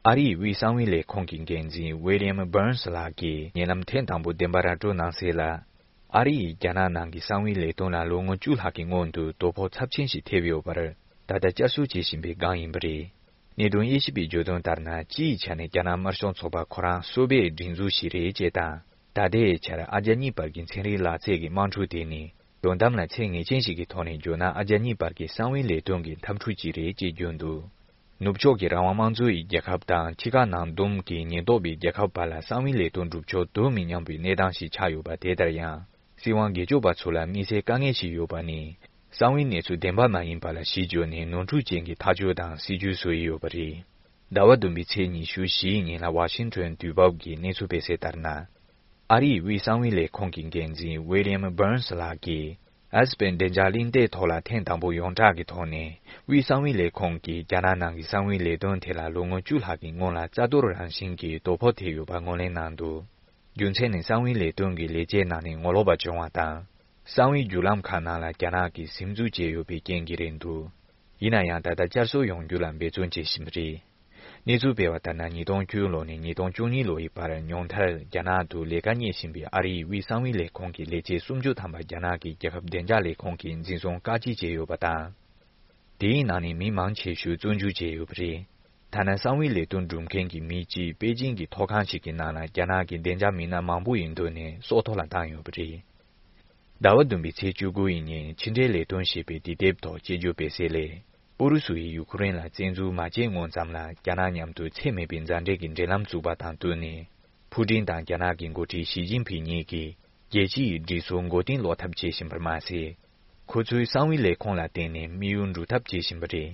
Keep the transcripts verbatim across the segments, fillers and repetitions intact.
ཨ་རིའི་དབུས་གསང་བའི་ལས་ཁུངས་ཀྱི་འགན་འཛིན་ཝི་ལི་ཡམ་བྷར་ནས་ལགས་ཀྱིས་ཉེ་ལམ་ཐེངས་དང་པོ་བདེན་པ་ར་སྤྲོད་གནང་གསལ་ལ། ཨ་རི་ཡིས་རྒྱ་ནག་ནང་གི་གསང་བའི་ལས་དོན་ལ་ལོ་ངོ་བཅུ་ལྷག་གི་སྔོན་དུ་དོ་ཕོག་ཚབས་ཆེན་ཞིག་ཐེབས་ཡོད་པར་ད་ལྟ་བསྐྱར་གསོ་བྱེད་བཞིན་པའི་སྒང་ཡིན་པ་རེད། གནད་དོན་དབྱེ་ཞིབ་པས་བརྗོད་དོན་ལྟར་ན། སྤྱི་ཡི་ཆ་ནས་རྒྱ་ནག་དམར་ཤོག་ཚོགས་པ་ཁོ་རང་སོ་པའི་སྒྲིག་འཛུགས་ཤིག་རེད་ཅེས་དང་། ད་ལྟའི་ཆར་ཨ་རྒྱ་གཉིས་བར་གྱི་ཚན་རིག་ལག་རྩལ་གྱི་དམག་འཁྲུག་དེ་ནི། དོན་དམ་ལ་ཚད་ངེས་ཅན་ཞིག་གི་ཐོག་ནས་བརྗོད་ན། ཨ་རྒྱ་གཉིས་བར་གྱི་གསང་བའི་ལས་དོན་གྱི་འཐབ་འཁྲུག་ཅིག་རེད་ཅེས་བརྗོད་འདུག། ནུབ་ཕྱོགས་ཀྱི་རང་དབང་དམངས་གཙོ་ཡི་རྒྱལ་ཁབ་དང་། ཕྱི་ཁ་ནང་བསྡོམས་ཀྱི་ཉེན་རྟོག་པའི་རྒྱལ་ཁབ་བར་ལ་གསང་བའི་ལས་དོན་སྒྲུབ་ཕྱོགས་དོ་མི་མཉམ་པའི་གནས་སྟངས་ཤིག་ཆགས་ཡོད་པ། དེ་ལྟར་ཡང་། སྲིད་དབང་སྒེར་གཅོད་པ་ཚོ་ལ་དམིགས་བསལ་དཀའ་ངལ་ཞིག་ཡོད་པ་ནི། གསང་བའི་གནས་ཚུལ་བདེན་པ་མ་ཡིན་པ་ལ་གཞི་བཅོལ་ནས་ནོར་འཁྲུལ་ཅན་གྱི་ཐག་གཅོད་དང་སྲིད་ཇུས་བཟོ་ཡི་ཡོད་པ་རེད། ཟླ་བ་བདུན་པའི་ཚེས་ཉི་ཤུ་བཞི་ཡི་ཉིན་ལ་ཝ་ཤིང་ཊོན་དུས་བབ་ཀྱིས་གནས་ཚུལ་སྤེལ་གསལ་ལྟར་ན། ཨ་རིའི་དབུས་གསང་བའི་ལས་ཁུངས་ཀྱི་འགན་འཛིན་ཝི་ལི་ཡམ་བྷར་ནས་ལགས་ཀྱིས། ཨེ་སི་པན་བདེ་འཇགས་གླེང་སྟེགས་ཐོག་ལ་ཐེངས་དང་པོ་ཡོངས་གྲགས་ཀྱི་ཐོག་ནས། དབུས་གསང་བའི་ལས་ཁུངས་ཀྱིས་རྒྱ་ནག་ནང་གི་གསང་བའི་ལས་དོན་དེ་ལ་ལོ་ངོ་བཅུ་ལྷག་གི་སྔོན་ལ་རྩ་གཏོར་རང་བཞིན་གྱི་དོ་ཕོག་ཐེབས་ཡོད་པ་ངོས་ལེན་གནང་འདུག། རྒྱུ་མཚན་ནི། གསང་བའི་ལས་དོན་གྱི་ལས་བྱེད་ནང་ནས་ངོ་ལོག་པ་བྱུང་བ་དང་། གསང་བའི་བརྒྱུད་ལམ་ཁག་ནང་ལ་རྒྱ་ནག་གིས་ཟིན་འཛུལ་བྱས་ཡོད་པའི་རྐྱེན་གྱིས་རེད་འདུག། ཡིན་ན་ཡང་། ད་ལྟ་བསྐྱར་གསོ་ཡོང་རྒྱུ་ལ་འབད་བརྩོན་བྱེད་བཞིན་པ་རེད། གནས་ཚུལ་སྤེལ་བ་ལྟར་ན། ཉིས་སྟོང་བཅུ་ལོ་ནས་ཉིས་སྟོང་བཅུ་གཉིས་ལོ་ཡི་བར་ཉུང་མཐར་རྒྱ་ནག་ཏུ་ལས་ཀ་གཉེར་བཞིན་པའི་ཨ་རིའི་དབུས་གསང་བའི་ལས་ཁུངས་ཀྱི་ལས་བྱེད་སུམ་ཅུ་ཐམ་པ་རྒྱ་ནག་གི་རྒྱལ་ཁབ་བདེ་འཇགས་ལས་ཁུངས་ཀྱིས་འཛིན་བཟུང་བཀག་སྐྱིལ་བྱས་ཡོད་པ་དང་། དེའི་ནང་ནས་མི་མང་ཆེ་ཤོས་བཙོན་འཇུག་བྱས་ཡོད་པ་རེད། ཐ་ན་གསང་བའི་ལས་དོན་སྒྲུབ་མཁན་གྱི་མི་གཅིག་པེ་ཅིང་གི་ཐོག་ཁང་ཞིག་གི་ནང་ལ་རྒྱ་ནག་གི་བདེ་འཇགས་མི་སྣ་མང་པོ་ཡི་མདུན་ནས་སྲོག་ཐོག་ལ་བཏང་ཡོད་པ་རེད། ཟླ་བ་བདུན་པའི་ཚེས་བཅུ་དགུ་ཡི་ཉིན་ཕྱི་འབྲེལ་ལས་དོན་ཞེས་པའི་དུས་དེབ་ཐོག་དཔྱད་བརྗོད་སྤེལ་གསལ་ལས། ཨུ་རུ་སུ་ཡིས་ཡུ་ཁུ་རེན་ལ་བཙན་འཛུལ་མ་བྱས་སྔོན་ཙམ་ལ། རྒྱ་ནག་མཉམ་དུ་ཚད་མེད་པའི་མཛའ་འབྲེལ་གྱི་འབྲེལ་ལམ་བཙུགས་པ་དང་བསྟུན་ནས། ཕུའུ་ཀྲིན་དང་རྒྱ་ནག་གི་འགོ་ཁྲིད་ཞི་ཅིན་ཕིང་གཉིས་ཀྱིས། རྒྱལ་སྤྱི་ཡི་སྒྲིག་སྲོལ་མགོ་རྟིང་སློག་ཐབས་བྱེད་བཞིན་པར་མ་ཟད། ཁོ་ཚོའི་གསང་བའི་ལས་ཁུངས་ལ་བརྟེན་ནས་དམིགས་ཡུལ་འགྲུབ་ཐབས་བྱེད་བཞིན་པ་རེད།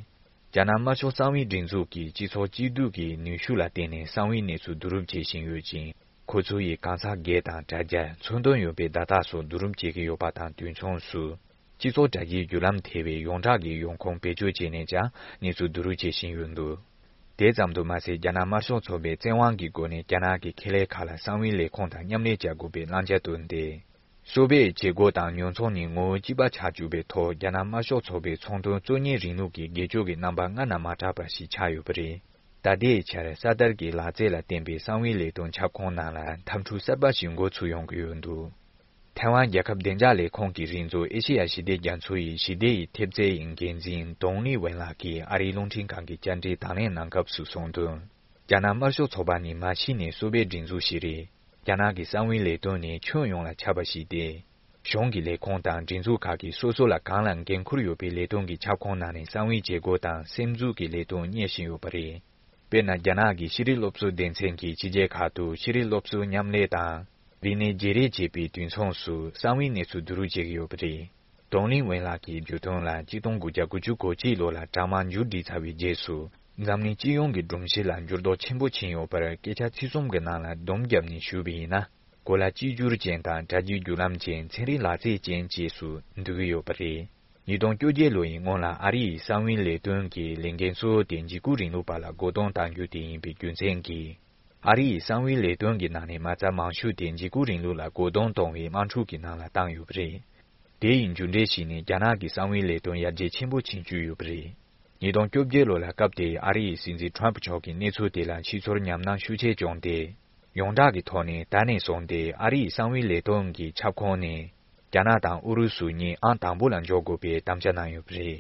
རྒྱ་ནག་དམར་ཤོག་གསང་བའི་སྒྲིག་འཛུགས་ཀྱིས་སྤྱི་ཚོགས་གཅིག་སྡུད་ཀྱི་ནུས་ཤུགས་ལ་བརྟེན་ནས་གསང་བའི་གནས་ཚུལ་བསྡུ་རུབ་བྱེད་བཞིན་ཡོད་ཅིང་། ཁོ་ཚོ་ཡིས་གང་ཟག་སྒེར་དང་དྲ་རྒྱ། མཚོན་དོན་ཡོད་པའི་བརྡ་རྟགས་སོགས་བསྡུ་རུབ་བྱེད་ཀྱི་ཡོད་པ་དང་དུས་མཚུངས་སུ། སྤྱི་ཚོགས་དྲ་རྒྱའི་བརྒྱུད་ལམ་ཐེ་བའི་ཡོངས་གྲགས་ཀྱི་ཡོང་ཁུངས་བེད་སྤྱོད་བྱས་ནས་ཀྱང་གནས་ཚུལ་བསྡུ་རུབ་བྱེད་བཞིན་ཡོད་འདུག། དེ་ཙམ་དུ་མ་ཟད། རྒྱ་ནག་དམར་ཤོག་ཚོགས་པས་བཙན་དབང་གི་སྒོ་ནས་རྒྱ་ནག་གི་ཁེ་ལས་ཁག་ལ་གསང་བའི་ལས་ཁུངས་དང་མཉམ་ལས་བྱ་དགོས་པའི་བླང་བྱ་བཏོན་ཏེ། སོ་པའི་བྱེད་སྒོ་དང་ཉོ་ཚོང་ནི་ངོ་བོ་གཅིག་པ་ཆགས་བཅུག་པའི་ཐོག་རྒྱ་ནག་དམར་ཤོག་ཚོགས་པའི་ཚོང་དོན་གཙོ་གཉེར་རིང་ལུགས་ཀྱི་སྒེར་གཅོད་ཀྱི་རྣམ་པ་སྔར་ན་མ་གྲགས་པ་ཞིག་ཆགས་ཡོད་པ་རེད། ད་ལྟའི་ཆར་གསར་དར་གྱི་ལག་རྩལ་ལ་བརྟེན་པའི་གསང་བའི་ལས་དོན་ཁྱབ་ཁོངས་ནང་ལ་འཐབ་འཁྲུག་གསར་པ་ཞིག་འགོ་ཚུགས་ཡོང་གི་ཡོད་འདུག། ཐའེ་ཝན་རྒྱལ་ཁབ་བདེ་འཇགས་ལས་ཁུངས་ཀྱི་རིགས་མཛོད་ཨེ་ཤེ་ཡ་ཞི་བདེ་རྒྱ་མཚོ་ཡི་ཞི་བདེ་ཡི་ཐེབས་རྩའི་འགན་འཛིན་ཏོང་ལི་ཝེན་ལགས་ཀྱིས་ཨ་རིའི་རླུང་འཕྲིན་ཁང་གི་བཅར་འདྲིར་དང་ལེན་གནང་སྐབས་སུ་གསུངས་དོན། རྒྱ་ནག་དམར་ཤོག་ཚོགས་པ་ནི་མ་གཞི་ནས་སོ་པའི་སྒྲིག་འཛུགས་ཤིག་རེད། རྒྱ་ནག་གི་གསང་བའི་ལས་དོན་ནི་ཁྱོན་ཡོངས་ལ་ཁྱབ་པ་ཞིག་སྟེ། གཞུང་གི་ལས་ཁུངས་དང་སྒྲིག་འཛུགས་ཁག་གིས་སོ་སོ་ལ་གང་ལ་འགན་འཁུར་ཡོད་པའི་ལས་དོན་གྱི་ཁྱབ་ཁོངས་ནང་ནས་གསང་བའི་བྱེད་སྒོ་དང་སེམས་འཛུགས་ཀྱི་ལས་དོན་གཉེར་བཞིན་ཡོད་པ་རེད། དཔེར་ན། རྒྱ་ནག་གི་ཤེས་རིག་སློབ་གསོ་སྡེ་ཚན་གྱིས་ཕྱི་རྒྱལ་ཁག་ཏུ་ཤེས་རིག་སློབ་གསོ་མཉམ་ལས་དང་། རིག་གནས་བརྗེ་རེས་བྱེད་པའི་དུས་མཚུངས་སུ་གསང་བའི་གནས་ཚུལ་བསྡུ་རུབ་བྱེད་ཀྱི་ཡོད་པ་རེད། ཏོང་ལིན་ཝེན་ལགས་ཀྱིས་བརྗོད་དོན་ལ། གཅིག་སྟོང་དགུ་བརྒྱ་དགུ་བཅུ་གོ་གཅིག་ལོ་ལ་དྲག་དམག་མཇུག་སྒྲིལ་ཚར་བའི་རྗེས་སུ། འཛམ་གླིང་སྤྱི་ཡོངས་ཀྱི་སྒྲོམ་གཞི་ལ་འགྱུར་ལྡོག་ཆེན་པོ་ཕྱིན་ཡོད་པར་སྐད་ཆ་ཚིག་གསུམ་གྱི་ནང་ལ་སྡོམ་བརྒྱབ་ནས་ཞུས་པ་ཡིན་ན། གོ་ལ་གཅིག་གྱུར་ཅན་དང་དྲ་རྒྱའི་བརྒྱུད་ལམ་ཅན། ཚན་རིག་ལག་རྩལ་ཅན་བཅས་སུ་འདུ་གི་ཡོད་པ་རེད། ཉིས་སྟོང་བཅོ་བརྒྱད་ལོ་ཡི་སྔོན་ལ་ཨ་རི་ཡི་གསང་བའི་ལས་དོན་གྱི་ལས་འགན་གཙོ་བོ་དེ་འཇིགས་སྐུལ་རིང་ལུགས་པ་ལ་བཀོད་གཏོང་གཏང་རྒྱུ་དེ་ཡིན་པའི་རྒྱུ་མཚན་གྱིས། ཨ་རི་ཡི་གསང་བའི་ལས་དོན་གྱི་ནང་ནས་མ་རྩ་མང་ཤོས་དེ་འཇིགས་སྐུལ་རིང་ལུགས་ལ་བཀོད་གཏོང་གཏོང་བའི་དམག་འཁྲུག་གི་ནང་ལ་བཏང་ཡོད་པ་རེད། དེ་ཡི་མཇུག་འབྲས་ཤིག་ནི་རྒྱ་ནག་གི་གསང་བའི་ལས་དོན་ཡར་རྒྱས་ཆེན་པོ་ཕྱིན་བཅུག་ཡོད་པ་རེད། ཉིས་སྟོང་བཅོ་བརྒྱད་ལོ་ལ་སྐབས་དེའི་ཨ་རི་ཡི་སྲིད་འཛིན་ཁྲོམ་ཕུ་མཆོག་གིས་གནས་ཚུལ་དེ་ལ་ཕྱི་ཚོར་ཉམས་སྣང་ཤུགས་ཆེ་བྱུང་སྟེ། ཡོངས་གྲགས་ཀྱི་ཐོག་ནས་ད་ནས་བཟུང་སྟེ་ཨ་རི་ཡི་གསང་བའི་ལས་དོན་གྱི་ཁྱབ་ཁོངས་ནས། རྒྱ་ནག་དང་ཨུ་རུ་སུ་གཉིས་ཨང་དང་པོ་ལ་འཇོག་དགོས་པའི་དམ་བཅའ་གནང་ཡོད་པ་རེད།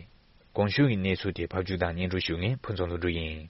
གོང་ཞུས་ཀྱི་གནས་ཚུལ་དེ་ཕབ་སྒྱུར་དང་སྙན་སྒྲོན་ཞུ་མཁན་ཕུན་ཚོགས་ལྷུན་གྲུབ་ཡིན།